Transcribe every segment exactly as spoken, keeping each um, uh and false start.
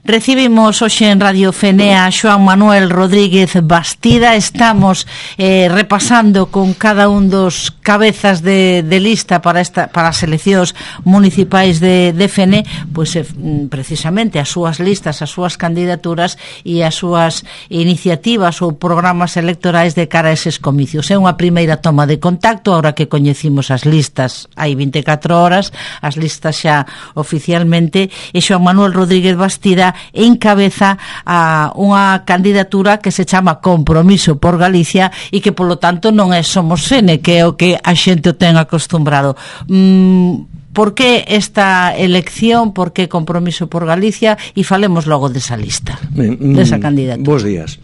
Recibimos hoxe en Radio Fenea a Xoán Manuel Rodríguez Bastida. Estamos eh, repasando con cada un dos cabezas de, de lista para esta para as eleccións municipais de, de Fene, pois eh, precisamente as súas listas, as súas candidaturas e as súas iniciativas ou programas electorais de cara a eses comicios. É unha primeira toma de contacto, ahora que coñecimos as listas hai vinte e catro horas, as listas xa oficialmente, e Xoán Manuel Rodríguez Bastida encabeza a unha candidatura que se chama Compromiso por Galicia e que polo tanto non é Somos Fene, que é o que a xente o ten acostumbrado. mm, Por que esta elección, por que Compromiso por Galicia, e falemos logo desa lista, ben, desa candidatura. Bos días.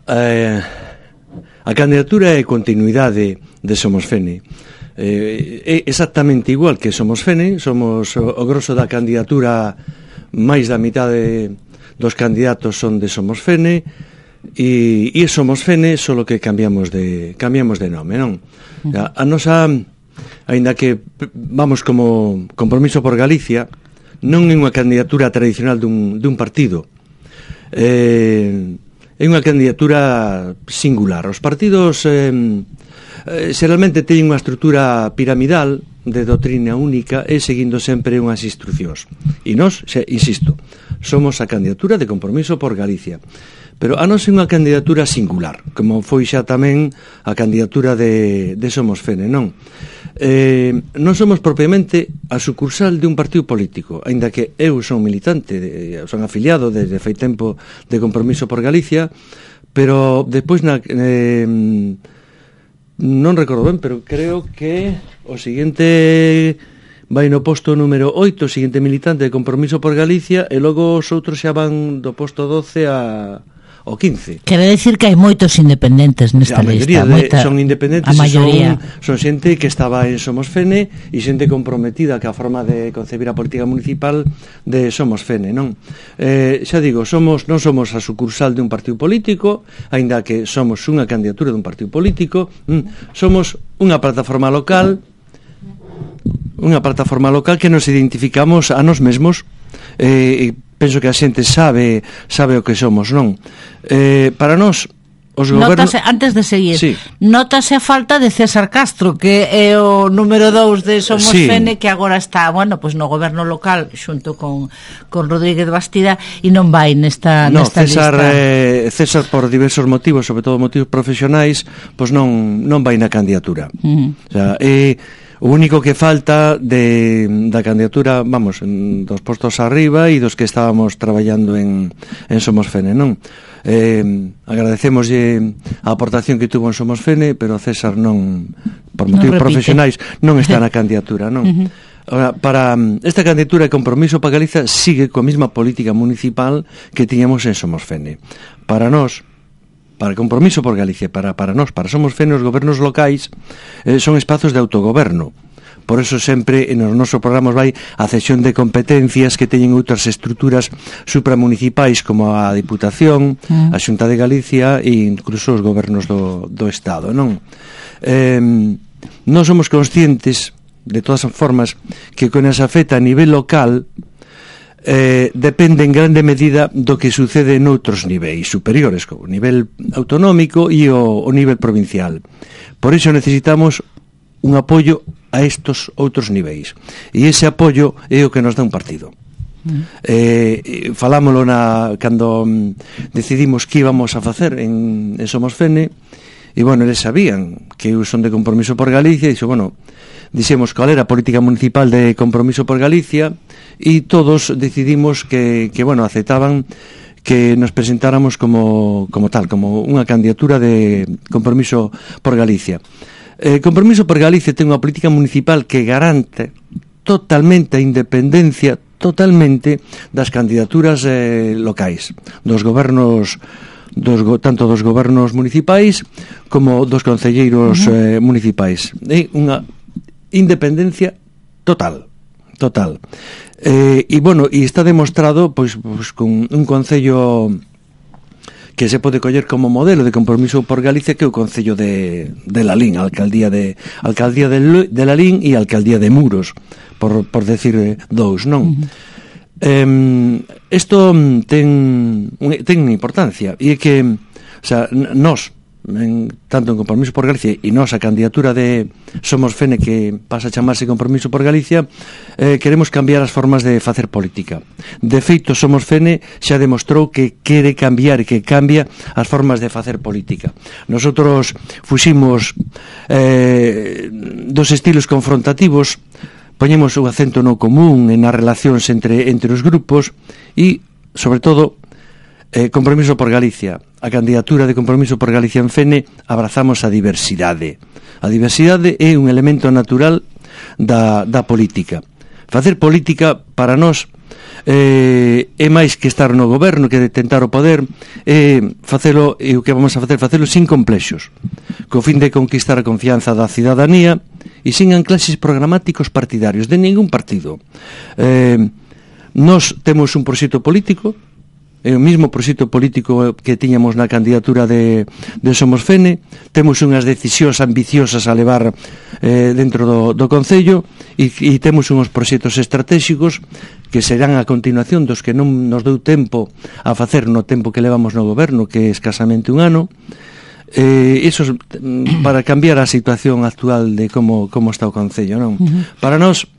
eh, A candidatura é continuidade de Somos Fene. eh, É exactamente igual que Somos Fene. Somos o, o grosso da candidatura. Máis da mitade dos candidatos son de Somos Fene e, e Somos Fene, solo que cambiamos de cambiamos de nome, non? A, a nosa, aínda que vamos como Compromiso por Galicia, non é unha candidatura tradicional dun, dun partido. Eh, é unha candidatura singular. Os partidos eh, eh, xeralmente teñen unha estrutura piramidal de doutrina única e seguindo sempre unhas instruccións. E nós, xe, insisto, somos a candidatura de Compromiso por Galicia. Pero a nós é unha candidatura singular, como foi xa tamén a candidatura de, de Somos Fene, non? Eh, non somos propiamente a sucursal de un partido político, aínda que eu son militante, de, son afiliado desde fai tempo de Compromiso por Galicia, pero depois na... Eh, non recordo ben, pero creo que o seguinte vai no posto número oito, o seguinte militante de Compromiso por Galicia, e logo os outros xa van do posto doce a o quince. Quere decir que hai moitos independentes nesta a lista. De, moita, son independentes, a maioría. Son, son xente que estaba en Somos Fene e xente comprometida ca forma de concebir a política municipal de Somos Fene, non? Eh, xa digo, somos non somos a sucursal de un partido político, aínda que somos unha candidatura de un partido político, mm, somos unha plataforma local, unha plataforma local que nos identificamos a nós mesmos, eh, e penso que a xente sabe sabe o que somos, non? Eh, para nós os gobernos... Notase, antes de seguir, sí. Notase a falta de César Castro, que é o número dous de Somos sí. Fene, que agora está, bueno, pues no goberno local xunto con, con Rodríguez Bastida, e non vai nesta, no, nesta César, lista. Eh, César, por diversos motivos, sobre todo motivos profesionais, pois pues non, non vai na candidatura. Uh-huh. O sea, eh, o único que falta de, da candidatura, vamos, en, dos postos arriba e dos que estábamos traballando en, en Somos Fene, non? Eh, agradecemos a aportación que tuvo en Somos Fene, pero César non, por motivos non profesionais, non está na candidatura, non? Uh-huh. Ahora, para esta candidatura de Compromiso para Galicia sigue coa mesma política municipal que tiñamos en Somos Fene. Para nós, para Compromiso por Galicia, para, para nós, para Somos Fene, os gobernos locais eh, son espazos de autogoberno. Por eso sempre en os nosos programas vai a cesión de competencias que teñen outras estruturas supramunicipais como a Diputación, mm. a Xunta de Galicia e incluso os gobernos do, do Estado, non? Eh, non somos conscientes, de todas as formas, que con esa feta a nivel local Eh, depende en grande medida do que sucede noutros niveis superiores, como o nivel autonómico e o, o nivel provincial. Por iso necesitamos un apoio a estos outros niveis, e ese apoio é o que nos dá un partido. Mm. Eh, falámoslo na, cando mm, decidimos que íbamos a facer en, en Somos Fene, e bueno, eles sabían que eu son de Compromiso por Galicia, e dixo, bueno, dixemos cal era a política municipal de Compromiso por Galicia, e todos decidimos que, que bueno, aceptaban que nos presentáramos como, como tal, como unha candidatura de Compromiso por Galicia. Eh, Compromiso por Galicia ten unha política municipal que garante totalmente a independencia, totalmente, das candidaturas eh, locais, dos gobernos, dos, tanto dos gobernos municipais como dos concelleiros uh-huh. eh, municipais. É unha independencia total, total. Eh, e, bueno, e está demostrado, pois, pois con un concello que se pode coller como modelo de Compromiso por Galicia, que é o concello de, de Lalín, a alcaldía de alcaldía de, de Lalín e a alcaldía de Muros, por, por decir dous, non? Uh-huh. eh, isto ten, ten importancia, e é que, o sea, nós, en, tanto en Compromiso por Galicia e nós a candidatura de Somos Fene, que pasa a chamarse Compromiso por Galicia, eh, queremos cambiar as formas de facer política. De feito, Somos Fene xa demostrou que quere cambiar e que cambia as formas de facer política. Nosotros fuximos eh, dos estilos confrontativos, poñemos o acento no común e nas relacións entre, entre os grupos e, sobre todo, Eh, Compromiso por Galicia, a candidatura de Compromiso por Galicia en Fene, abrazamos a diversidade. A diversidade é un elemento natural da, da política. Facer política para nós eh, é máis que estar no goberno, que de tentar o poder, é facelo, e o que vamos a facer, facelo sin complexos, co fin de conquistar a confianza da cidadanía e sin anclaxes programáticos partidarios de ningún partido. Eh, nós temos un proxecto político, é o mesmo proxecto político que tiñamos na candidatura de, de Somos Fene, temos unhas decisións ambiciosas a levar eh, dentro do, do Concello e, e temos unhos proxectos estratégicos que serán a continuación dos que non nos deu tempo a facer no tempo que levamos no goberno, que é escasamente un ano, eh, iso para cambiar a situación actual de como, como está o Concello, non? Uh-huh. Para nós,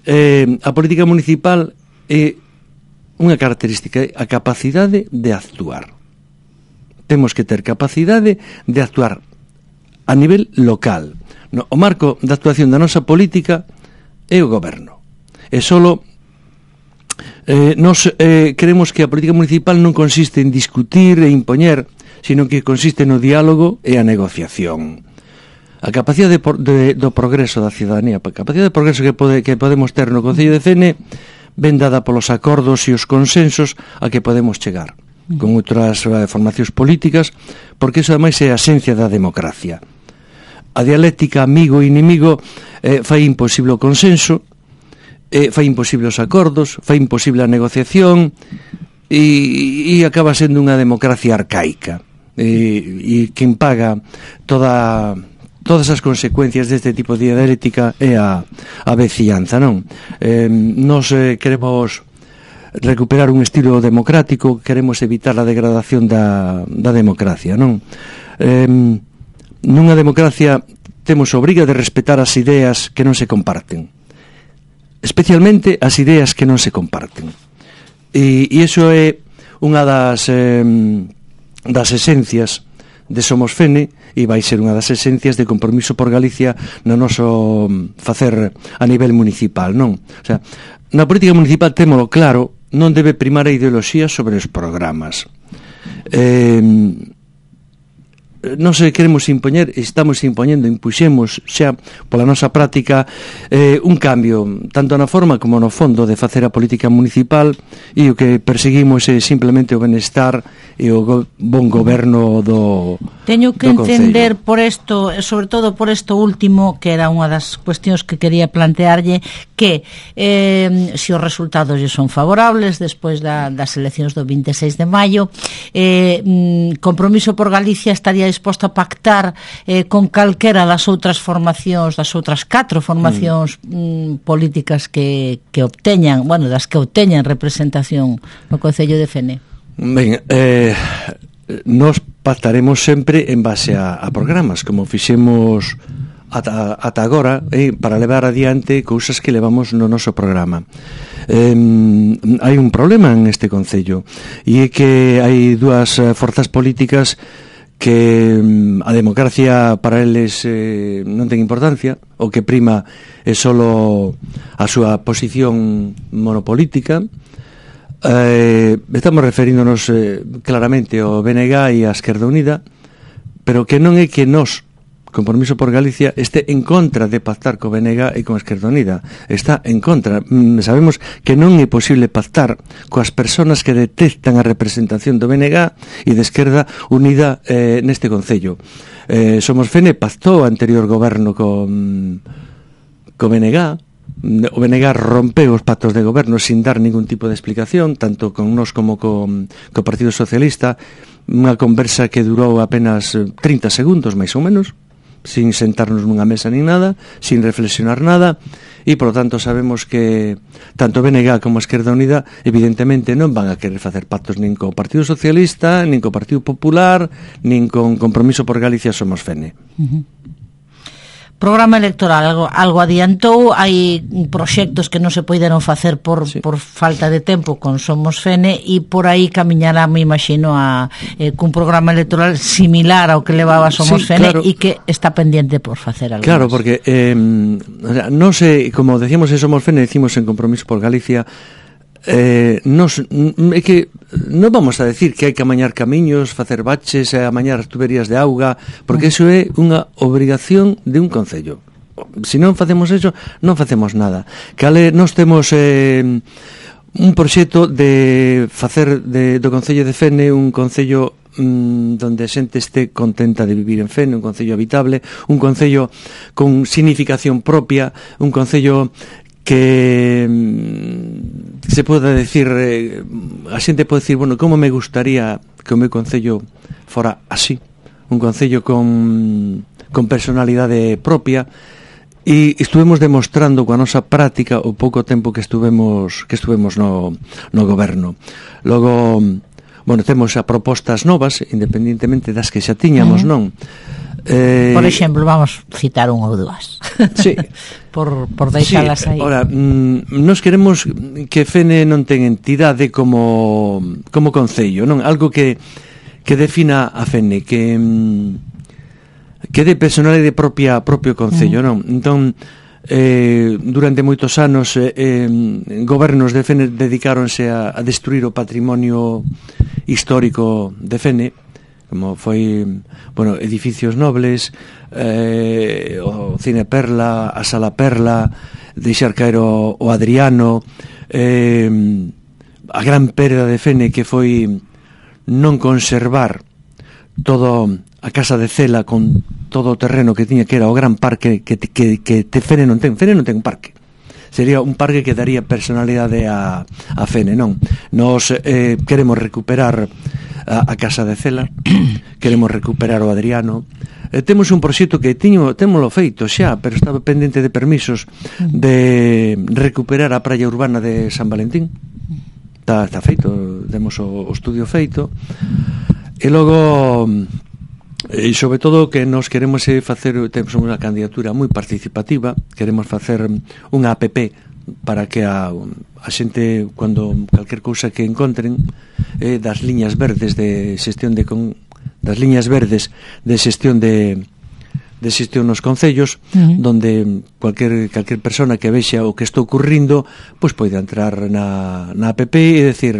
eh, a política municipal é unha característica, a capacidade de actuar. Temos que ter capacidade de actuar a nivel local. No, o marco de actuación da nosa política é o goberno. E solo eh, nos eh, queremos que a política municipal non consiste en discutir e impoñer, sino que consiste no diálogo e a negociación. A capacidade de, de, do progreso da cidadanía, a capacidade de progreso que, pode, que podemos ter no Concello de Fene, ben dada polos acordos e os consensos a que podemos chegar con outras eh, formacións políticas, porque iso ademais é a esencia da democracia. A dialéctica amigo e inimigo eh, fai imposible o consenso, eh, fai imposible os acordos, fai imposible a negociación e, e acaba sendo unha democracia arcaica, e, e quen paga toda todas as consecuencias deste tipo de dialéctica é a, a veciñanza, non? Eh, nos eh, queremos recuperar un estilo democrático, queremos evitar a degradación da, da democracia, non? Eh, nunha democracia temos a obriga de respetar as ideas que non se comparten, especialmente as ideas que non se comparten, e, e iso é unha das eh, das esencias de Somos Fene, e vai ser unha das esencias de Compromiso por Galicia no noso facer a nivel municipal, non? O sea, na política municipal témolo claro, non debe primar a ideoloxía sobre os programas. Eh, non se queremos impoñer, estamos impoñendo, impuxemos xa pola nosa práctica eh, un cambio, tanto na forma como no fondo de facer a política municipal, e o que perseguimos é simplemente o benestar e o go bon goberno do Teño que do entender por isto, sobre todo por isto último, que era unha das cuestións que quería plantearlle, que eh, se os resultados lle son favorables despois da, das eleccións do vinte e seis de maio, eh, Compromiso por Galicia estaría disposto a pactar eh, con calquera das outras formacións, das outras catro formacións mm. Mm, políticas que, que obteñan, bueno, das que obteñan representación no Concello de Fene. Ben, eh, nos pactaremos sempre en base a, a programas, como fixemos ata, ata agora, eh, para levar adiante cousas que levamos no noso programa. Eh, hai un problema en este Concello, e é que hai dúas forzas políticas que a democracia para eles eh, non ten importancia, o que prima é solo a súa posición monopolítica. Eh, estamos referíndonos eh, claramente ao B N G e á Esquerda Unida, pero que non é que nós, Compromiso por Galicia, este en contra de pactar co B N G e con a Esquerda Unida. Está en contra. Mm, sabemos que non é posible pactar coas persoas que detestan a representación do B N G e de Esquerda Unida eh, neste Concello. Eh, Somos Fene pactou o anterior goberno con, co B N G. O B N G rompeu os pactos de goberno sin dar ningún tipo de explicación, tanto con nós como co, co Partido Socialista, unha conversa que durou apenas trinta segundos, máis ou menos, sin sentarnos nunha mesa nin nada, sin reflexionar nada, e, por lo tanto, sabemos que tanto B N G como a Esquerda Unida, evidentemente, non van a querer facer pactos nin co Partido Socialista, nin co Partido Popular, nin con Compromiso por Galicia Somos Fene. Uh-huh. Programa electoral, algo, algo adiantou, hai proxectos que non se poideron facer por, sí. por falta de tempo con Somos Fene, e por aí camiñará, me imagino, a, eh, cun programa electoral similar ao que levaba Somos sí, Fene, claro. E que está pendiente por facer algo. Claro, más. Porque eh, non sei, como decíamos en Somos Fene, decimos en Compromiso por Galicia, eh, nos, é que non vamos a decir que hai que amañar camiños, facer baches, amañar as tuberías de auga, porque iso é unha obrigación de un concello. Se non facemos eso, non facemos nada. Cale, nós temos eh, un proxecto de facer de, do Concello de Fene un concello mm, donde a xente este contenta de vivir en Fene, un concello habitable, un concello con significación propia, un concello que se pode decir, eh, a xente pode decir, bueno, como me gustaría que o meu concello fora así, un concello con, con personalidade propia, e estuvemos demostrando coa nosa práctica o pouco tempo que estuvemos que estuvemos no, no goberno. Logo, bueno, temos a propostas novas, independentemente das que xa tiñamos, uh-huh. non? Eh, por exemplo, vamos citar un ou dúas. Sí. por, por deixalas sí, aí. Ora, mm, nos queremos que Fene non ten entidade como como concello, non? Algo que que defina a Fene, que que de personalidade propia propio concello, non? Entón, eh, durante moitos anos eh, eh, gobernos de Fene dedicáronse a, a destruir o patrimonio histórico de Fene, como foi, bueno, edificios nobles, eh, o Cine Perla, a Sala Perla, deixar caer o, o Adriano, eh, a gran perda de Fene que foi non conservar todo a Casa de Cela con todo o terreno que tiña, que era o gran parque que, que, que te Fene non ten. Fene non ten un parque. Sería un parque que daría personalidade a, a Fene, non? Nos eh, queremos recuperar a, a Casa de Cela, queremos recuperar o Adriano, eh, temos un proxecto que tiño, témolo feito xa, pero estaba pendente de permisos de recuperar a praia urbana de San Valentín. Está, está feito, temos o, o estudio feito, e logo, e sobre todo que nos queremos facer, temos unha candidatura moi participativa, queremos facer unha app para que a, a xente, cando calquer cousa que encontren, eh, das liñas verdes de xestión de con, das liñas verdes de xestión de de xestión nos concellos, uh-huh. donde cualquier cualquier persona que vexa o que está ocurrindo, pois pode entrar na, na app e decir,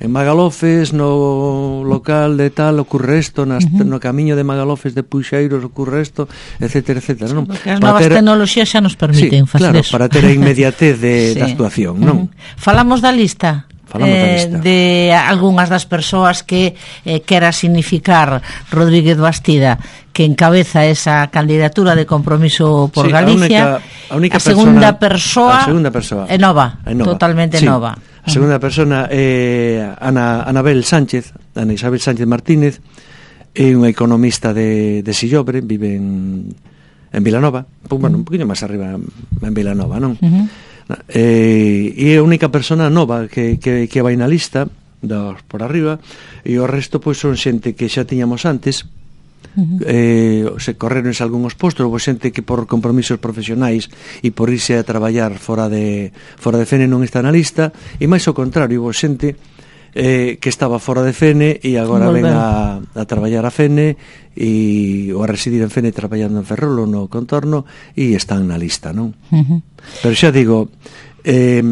en Magalofes, no local de tal ocurre isto, nas, uh-huh. no camiño de Magalofes de Puxeiros ocurre isto, etcétera, etcétera, non? Porque as novas ter... tecnoloxías xa nos permiten sí, facer claro, eso. Para ter a inmediatez de, sí. da actuación, non? Uh-huh. Falamos da lista. Falamos da lista. Eh, de algunhas das persoas que eh, quera significar Rodríguez Bastida, que encabeza esa candidatura de Compromiso por sí, Galicia. A, única, a, única a segunda persona, persoa, a segunda persoa é nova, é nova, totalmente sí. nova. A segunda persona é Ana, Anabel Sánchez, Ana Isabel Sánchez Martínez, é unha economista de, de Sillobre, vive en, en Vilanova, pues, bueno, un poquinho máis arriba en Vilanova, non? Uh-huh. Eh, e é a única persona nova que, que, que vai na lista dos por arriba, e o resto pois son xente que xa tiñamos antes. Uh-huh. eh, se correron algúns postos, houve xente que por compromisos profesionais e por irse a traballar fora de fora de Fene non está na lista, e máis ao contrario, houve xente eh, que estaba fora de Fene e agora ven a, a traballar a Fene e, ou a residir en Fene traballando en Ferrol ou no contorno, e están na lista, non? Uh-huh. Pero xa digo, eh,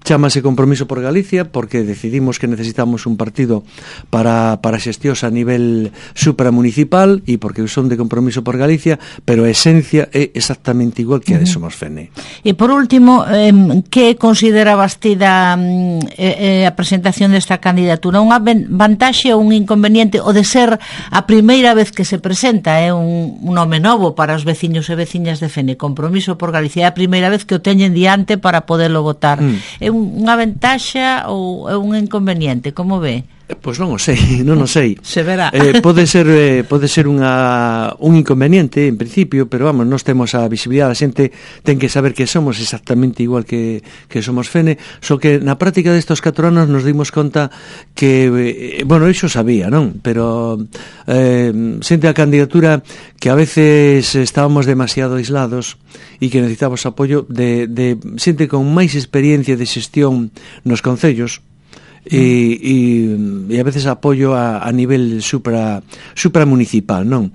chámase Compromiso por Galicia porque decidimos que necesitamos un partido para, para xestións a nivel supramunicipal, e porque son de Compromiso por Galicia, pero a esencia é exactamente igual que a de Somos Fene. E por último, eh, que considera Bastida eh, a presentación desta candidatura? Unha vantaxe ou un inconveniente o de ser a primeira vez que se presenta? É un, un nome novo para os veciños e veciñas de Fene. Compromiso por Galicia é a primeira vez que o teñen diante para poderlo votar. Mm. É unha ventaxa ou é un inconveniente? Como ve? Pois non o sei, non o sei. Se verá. Eh, pode ser eh, pode ser unha un inconveniente en principio, pero vamos, nós temos a visibilidade, a xente ten que saber que somos exactamente igual que que somos Fene, só que na práctica destos catro anos nos dimos conta que eh, bueno, iso sabía, non? Pero eh, xente a candidatura que a veces estábamos demasiado aislados e que necesitábamos apoio de, de xente con máis experiencia de xestión nos concellos. E, e, e a veces apoio a, a nivel supra, supramunicipal, non?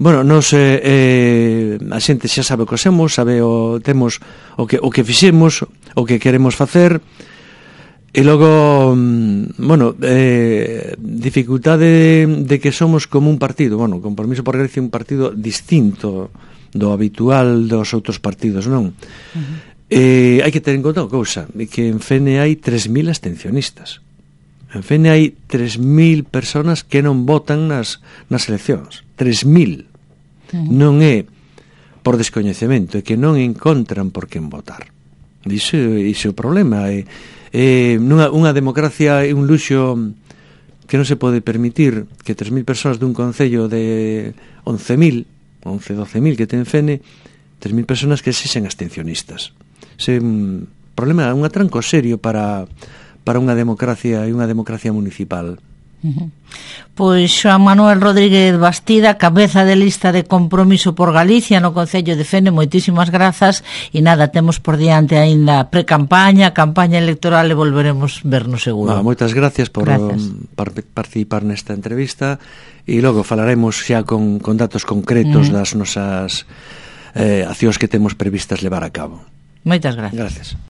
Bueno, nos eh, eh, a xente xa sabe o que somos, sabe o temos o que o que fixemos, o que queremos facer. E logo, bueno, eh, dificultade de, de que somos como un partido, bueno, Compromiso por Galicia un partido distinto do habitual dos outros partidos, non? Uh-huh. Eh, hai que ter en conta unha cousa, que en Fene hai tres mil abstencionistas. En Fene hai tres mil personas que non votan nas, nas eleccións. tres mil. Uh-huh. Non é por descoñecemento, é que non encontran por quen votar. Iso, iso é o problema. É, é, nunha, unha democracia é un luxo que non se pode permitir que tres mil persoas dun concello de once mil, once, doce mil que ten Fene, tres mil persoas que sexen abstencionistas. É un problema, un atranco serio para... para unha democracia e unha democracia municipal. Uh-huh. Pois Xoán Manuel Rodríguez Bastida, cabeza de lista de Compromiso por Galicia no Concello de Fene, moitísimas grazas e nada, temos por diante aínda pre-campaña, campaña electoral e volveremos vernos seguro. Ah, moitas gracias por gracias. Par participar nesta entrevista e logo falaremos xa con, con datos concretos uh-huh. das nosas eh, accións que temos previstas levar a cabo. Moitas gracias. Gracias.